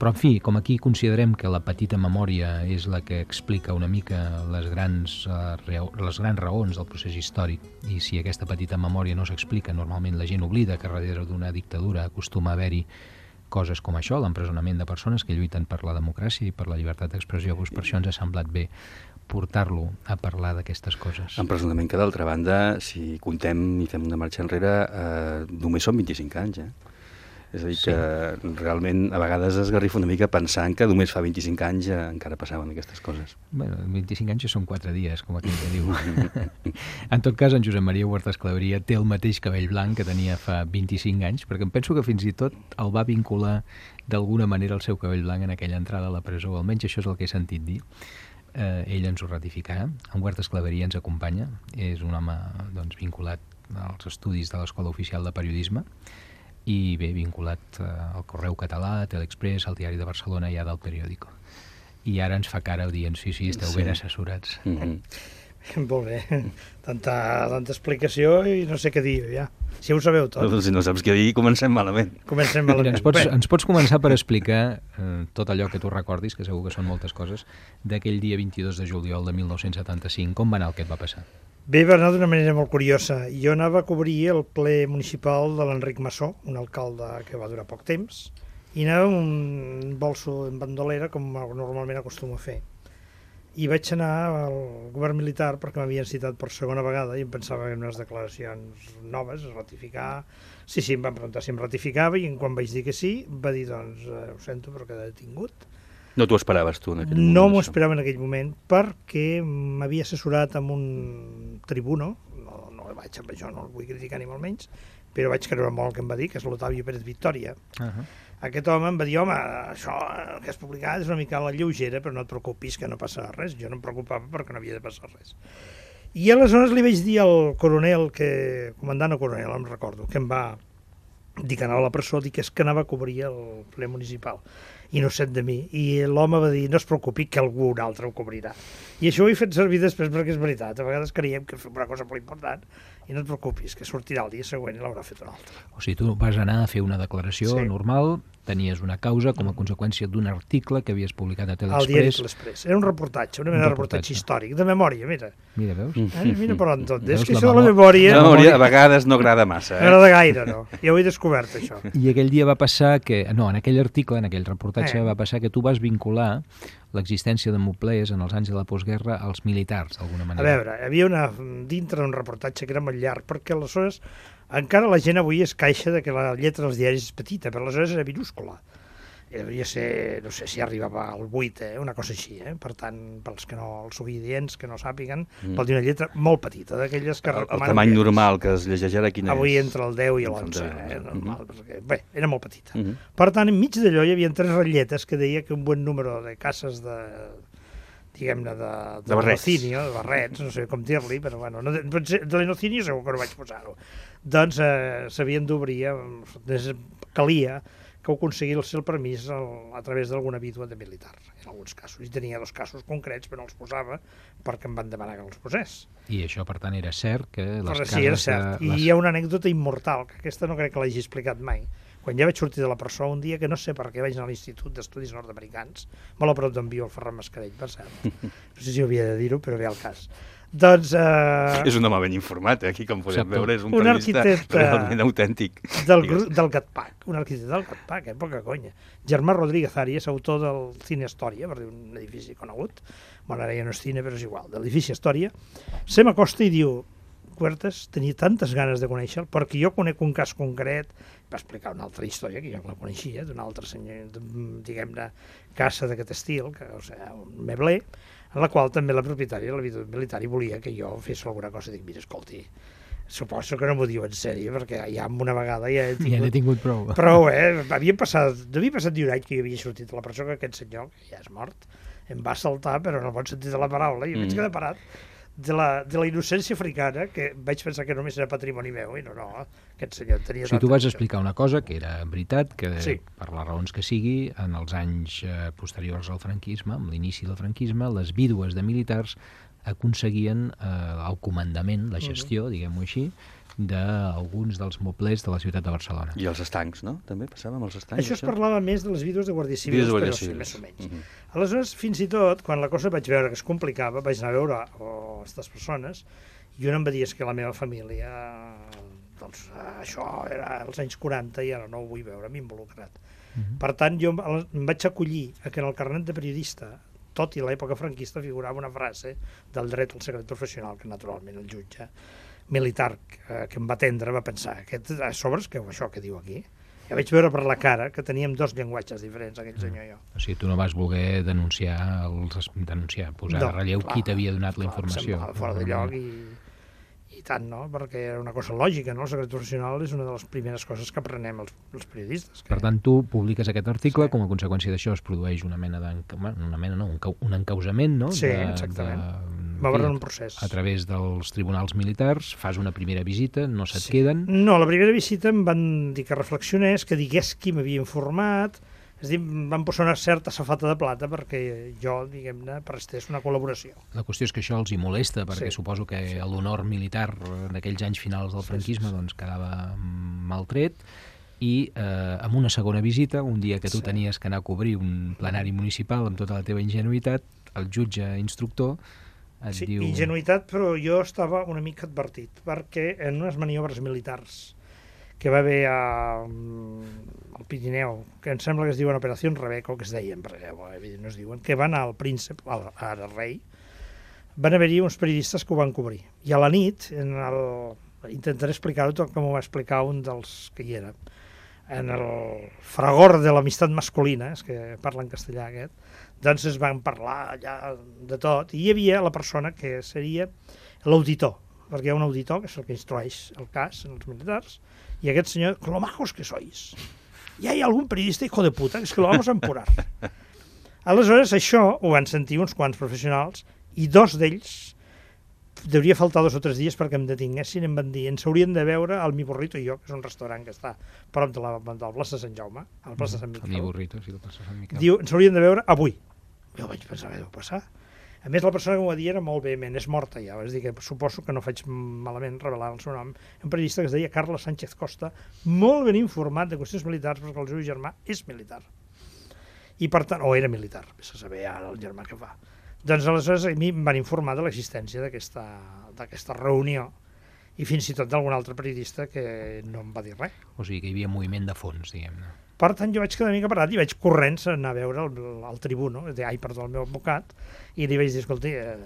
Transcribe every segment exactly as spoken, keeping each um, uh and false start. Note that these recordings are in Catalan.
Però, en fi, com aquí considerem que la petita memòria és la que explica una mica les grans, uh, les grans raons del procés històric, i si aquesta petita memòria no s'explica, normalment la gent oblida que darrere d'una dictadura acostuma a haver-hi coses com això, l'empresonament de persones que lluiten per la democràcia i per la llibertat d'expressió. Doncs per això ens ha semblat bé portar-lo a parlar d'aquestes coses. Empresonament que, d'altra banda, si contem i fem una marxa enrere, eh, només són vint-i-cinc anys, eh? És a dir, sí. que realment a vegades es garrifa una mica pensant que només fa vint-i-cinc anys eh, encara passaven aquestes coses. Bueno, vint-i-cinc anys són quatre dies, com aquell que diu. En tot cas, en Josep Maria Huertas Claveria té el mateix cabell blanc que tenia fa vint-i-cinc anys, perquè em penso que fins i tot el va vincular d'alguna manera el seu cabell blanc en aquella entrada a la presó, almenys això és el que he sentit dir. Eh, ell ens ho ratificarà. En Huertas Claveria ens acompanya, és un home doncs, vinculat als estudis de l'Escola Oficial de Periodisme, i bé, vinculat eh, al Correu Català, a Telexpress, al Diari de Barcelona i a del Periódico. I ara ens fa cara dient, sí, sí, esteu sí. ben assessorats. Mm-hmm. Molt bé. Tanta, tanta explicació i no sé què dir, ja. Si ho sabeu tot. Si no saps què dir, comencem malament. Comencem malament. Mira, ens, pots, ens pots començar per explicar eh, tot allò que tu recordis, que segur que són moltes coses, d'aquell dia vint-i-dos de juliol de mil nou-cents setanta-cinc. Com va anar el que et va passar? Bé, va anar d'una manera molt curiosa. Jo anava a cobrir el ple municipal de l'Enric Massó, un alcalde que va durar poc temps, i anava amb un bolso en bandolera, com normalment acostumo a fer. I vaig anar al govern militar perquè m'havien citat per segona vegada i em pensava en unes declaracions noves, a ratificar. Sí, sí, em van preguntar si em ratificava i quan vaig dir que sí, va dir, doncs, eh, ho sento, però queda detingut. No t'ho esperaves tu en aquell moment? No m'ho esperava en aquell moment perquè m'havia assessorat amb un tribuno, no, no vaig amb això, no el vull criticar ni molt menys, però vaig creure molt el que em va dir, que és l'Otavi Pérez Victòria. Uh-huh. Aquest home em va dir, home, això que has publicat és una mica a la lleugera, però no et preocupis que no passa res. Jo no em preocupava perquè no havia de passar res. I aleshores li vaig dir al coronel, que, comandant o coronel, em recordo, que em va dir que anava a la presó, dir que és que anava a cobrir el ple municipal, innocent de mi, i l'home va dir, no es preocupi que algú un altre ho cobrirà. I això ho he fet servir després perquè és veritat, a vegades creiem que fem una cosa molt important i no et preocupis, que sortirà el dia següent i l'haurà fet un altre. O sigui, tu vas anar a fer una declaració sí. normal, tenies una causa com a conseqüència d'un article que havies publicat a Telexpress. Al diari Telexpress. Era un reportatge, una mena de reportatge històric, de memòria, mira. Mira, veus? Eh? Mira per on tot. És que la això de la memòria... La memòria a vegades no agrada massa. Eh? No agrada gaire, no. Ja ho he descobert, això. I aquell dia va passar que... No, en aquell article, en aquell reportatge, eh. va passar que tu vas vincular l'existència de moblers en els anys de la postguerra als militars, d'alguna manera. A veure, hi havia una, dintre d'un reportatge que era molt llarg, perquè aleshores encara la gent avui es queixa de que la lletra dels diaris és petita, però aleshores era minúscula. Devia ser, no sé si arribava al vuit, eh? Una cosa així, eh? Per tant, pels que no, els oients que no sàpiguen, mm. vol dir una lletra molt petita, d'aquelles que... El, el tamany normal que es llegeix ara quina avui és? Avui entre el deu i l'onze, eh? Normal, mm-hmm. perquè, bé, era molt petita. Mm-hmm. Per tant, enmig d'allò hi havia tres ratlletes que deia que un bon número de cases de... diguem-ne, de, de, de barrets, de barrets, no sé com dir-li, però bueno, no, de, de l'enocinio segur que no vaig posar-ho. Doncs eh, s'havien d'obrir, calia que ho aconseguís el permís a, a través d'alguna vídua de militar, en alguns casos. I tenia dos casos concrets, però no els posava perquè em van demanar que els posés. I això, per tant, era cert que les però cases... Sí, era cert. De... I hi ha una anècdota immortal, que aquesta no crec que l'hagi explicat mai. Quan ja vaig sortir de la presó, un dia que no sé per què vaig anar a l'Institut d'Estudis Nord-Americans, molt a prop d'on viu el Ferran Mascarell, per cert. No sé si havia de dir-ho, però ve al cas. Doncs... Eh... És un home ben informat, eh? Aquí, com podem Exacte. veure, és un, un periodista realment autèntic. Del, del GATPAC, un arquitecte del GATPAC, eh? Poca conya. Germà Rodríguez Arias, autor del Cine Història, per dir un edifici conegut, bueno, ara ja no és cine, però és igual, de l'edifici Història, se m'acosta i diu, Huertas, tenia tantes ganes de conèixer-lo, perquè jo conec un cas concret, va explicar una altra història, que jo la coneixia, d'un altre senyor, diguem-ne, casa d'aquest estil, que, o sigui, un mebler, en la qual també la propietària, la vida militar, volia que jo fes alguna cosa. Dic, mira, escolti, suposo que no m'ho diu en sèrio, perquè ja una vegada ja he tingut... Ja n'he tingut prou. Prou, eh? Havia passat, devia passat un any que jo havia sortit de la presó, que aquest senyor, que ja és mort, em va saltar, però no pot sentir de la paraula, i mm. vaig quedar parat de la, de la innocència africana, que vaig pensar que només era patrimoni meu, i no, no, aquest senyor tenia... O sigui, tu vas explicar una cosa que era veritat, que sí. per les raons que sigui, en els anys eh, posteriors al franquisme, amb l'inici del franquisme, les vídues de militars aconseguien eh, el comandament, la gestió, mm-hmm. diguem-ho així, d'alguns dels moblers de la ciutat de Barcelona. I els estancs, no? També passava amb els estancs? Això es parlava més de les vídues de Guàrdia Civil, Vídues de Guàrdia però sí, Civil. més o menys. Mhm. Aleshores, fins i tot, quan la cosa vaig veure que es complicava, vaig anar a veure oh, aquestes persones, i un em va dir que la meva família, doncs això era als anys quaranta i ara no ho vull veure, m'he involucrat. Uh-huh. Per tant, jo em vaig acollir a que en el carnet de periodista, tot i l'època franquista, figurava una frase del dret al secret professional, que naturalment el jutge militar que, que em va atendre va pensar, aquest, a sobre és que això que diu aquí. Ja vaig veure per la cara que teníem dos llenguatges diferents, aquell senyor i jo. O sigui, tu no vas voler denunciar, els, denunciar posar no, en relleu clar, qui t'havia donat la informació. Clar, fora de lloc i, i tant, no? Perquè era una cosa lògica, no? El secret professional és una de les primeres coses que aprenem els, els periodistes. Que... Per tant, tu publiques aquest article, sí. Com a conseqüència d'això es produeix una mena de... Bueno, una mena, no, un, un encausament, no? Sí, de, exactament. De, va haver un procés. A través dels tribunals militars, fas una primera visita, no se't sí. queden... No, la primera visita em van dir que reflexionés, que digués qui m'havia informat, és a dir, em van posar una certa safata de plata perquè jo, diguem-ne, prestés una col·laboració. La qüestió és que això els hi molesta, perquè sí. suposo que sí. l'honor militar d'aquells anys finals del franquisme sí, sí, sí. doncs quedava maltret, i eh, amb una segona visita, un dia que tu sí. tenies que anar a cobrir un plenari municipal amb tota la teva ingenuïtat, el jutge instructor et sí, diu... Ingenuïtat, però jo estava una mica advertit, perquè en unes maniobres militars que va haver a, al Pirineu, que em sembla que es diuen Operació Rebeco, que es deien, perquè evidentment no es diuen, que van al príncep, al, al rei, van haver-hi uns periodistes que ho van cobrir. I a la nit, en el, intentaré explicar-ho tot com ho va explicar un dels que hi era, en el fragor de l'amistat masculina, és que parla en castellà aquest, doncs es van parlar allà de tot, i hi havia la persona que seria l'auditor, perquè hi ha un auditor que és el que instrueix el cas en els militars, y aquest senyor, con lo majos que sois. Y hay algún periodista hijo de puta, que es que lo vamos a empurar. Aleshores, això ho van sentir uns quants professionals, i dos d'ells, devia faltar dos o tres dies perquè em detinguessin, em van dir, ens haurien de veure al Mi Burrito i jo, que és un restaurant que està prop de la, de la plaça de Sant Jaume, a la plaça de Sant Miquel. El Mi Burrito, sí, la plaça de Sant Miquel. Diu, ens haurien de veure avui. Jo vaig pensar, què deu passar? A més, la persona que m'ho va dir era molt vehement, és morta ja, és a dir, que suposo que no faig malament revelar el seu nom. Un periodista que es deia Carles Sánchez Costa, molt ben informat de qüestions militars, perquè el seu germà és militar. I per tant, o era militar, vés a saber ara el germà que fa. Doncs aleshores a mi em van informar de l'existència d'aquesta reunió, i fins i tot d'algun altre periodista que no em va dir res. O sigui que hi havia moviment de fons, diguem-ne. Per tant, jo vaig quedar una mica parat i vaig corrents a anar a veure el, el tribuno, ai, perdó, el meu advocat, i li vaig dir, escolta, eh,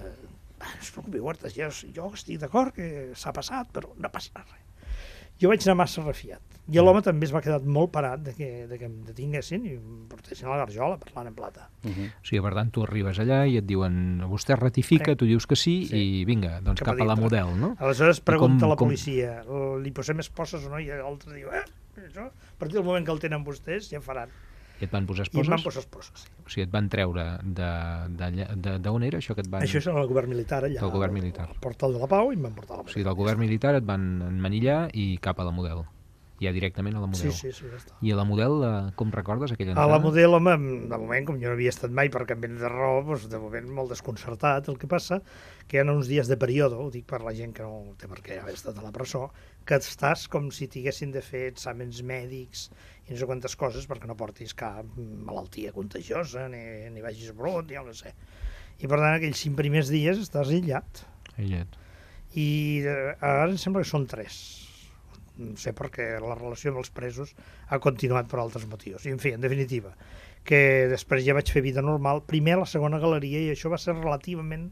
no es preocupi, Huertas, jo, jo estic d'acord que s'ha passat, però no passa res. Jo vaig anar massa refiat. I l'home també es va quedar molt parat de que, de que em detinguessin i em portessin a la garjola parlant en plata. Uh -huh. O sigui, per tant, tu arribes allà i et diuen, vostè ratifica, eh? Tu dius que sí, sí, i vinga, doncs cap, cap a la Model, no? Aleshores pregunta com, a la policia, com... li posem esposes o no? I l'altre diu, eh, això, a partir del moment que el tenen vostès, ja faran. I et van posar esposes? I em van posar esposes, sí. O sigui, et van treure d'on era això que et van... Això és el govern militar, allà. Del govern militar. Al Portal de la Pau, i em van portar a la Model. O sigui, del govern militar et van emmanillar i cap a la Model. Ja directament a la Model. Sí, sí, sí, ja està. I a la Model, com recordes aquella entrada? A la Model, home, de moment, com jo no havia estat mai per canviar de raó, doncs de moment molt desconcertat. El que passa que hi ha uns dies de període, ho dic per la gent que no té per què haver estat a la presó, que estàs com si t'haguessin de fer exàmens mèdics i no sé quantes coses perquè no portis cap malaltia contagiosa, ni, ni vagis brut, ni el que sé. I per tant, aquells cinc primers dies estàs aïllat. Aïllat. I ara em sembla que són tres. No sé perquè la relació amb els presos ha continuat per altres motius. I, en fi, en definitiva, que després ja vaig fer vida normal, primer a la segona galeria, i això va ser relativament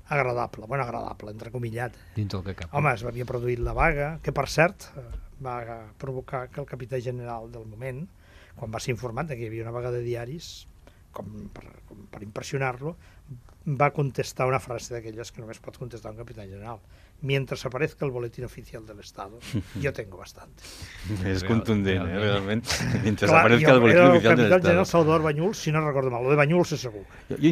agradable, bueno, agradable, entrecomillat. Dins el que cap. Home, es havia produït la vaga, que per cert va provocar que el capità general del moment, quan va ser informat que hi havia una vaga de diaris, com per, com per impressionar-lo, va contestar una frase d'aquelles que només pot contestar un capità general. Mientras aparezca el boletín oficial del Estado, yo tengo bastante. És contundent, eh, realment. Mientras Clar, aparezca el boletín oficial del Estado. El capità general Salvador Banyuls, si no recordo mal, lo de Banyuls és segur. Jo,